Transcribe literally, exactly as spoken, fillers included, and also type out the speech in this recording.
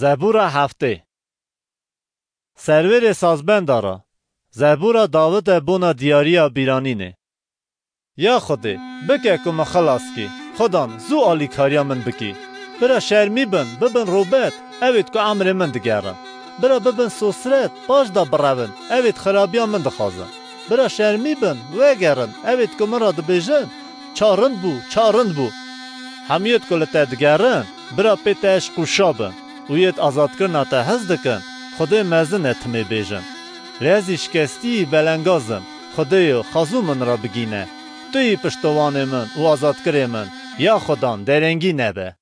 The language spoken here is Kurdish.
Zebûra heftê. Serwêrê sazbenda re. Zebûra Dawid e bona diyariya bîranînê. Ya Xwedê, bike ku min xilas kî. Xudan, zû alîkariya min bikî. Bira şermî bin, bibin robet, ew êd ku emrê min digerin. Bira bibin sosret, paş da birevin, ew êd xirabiya min dixwazin. Bira şermî bin, vegerin, ew êd ku min re dibêjin, çarind bû, çarind bû. Hemû êd ku li te digerin, bira pê te eşq û şa bin û yêd azadkirina te hez dikin, Xwedê mezin e timê bêjin. Lê ez î şikestî yî belengaz im, Xwedêyo, xazû min re bigîne. Tu yî piştowanê min û azadkirê min, ya Xudan, derengî nebe.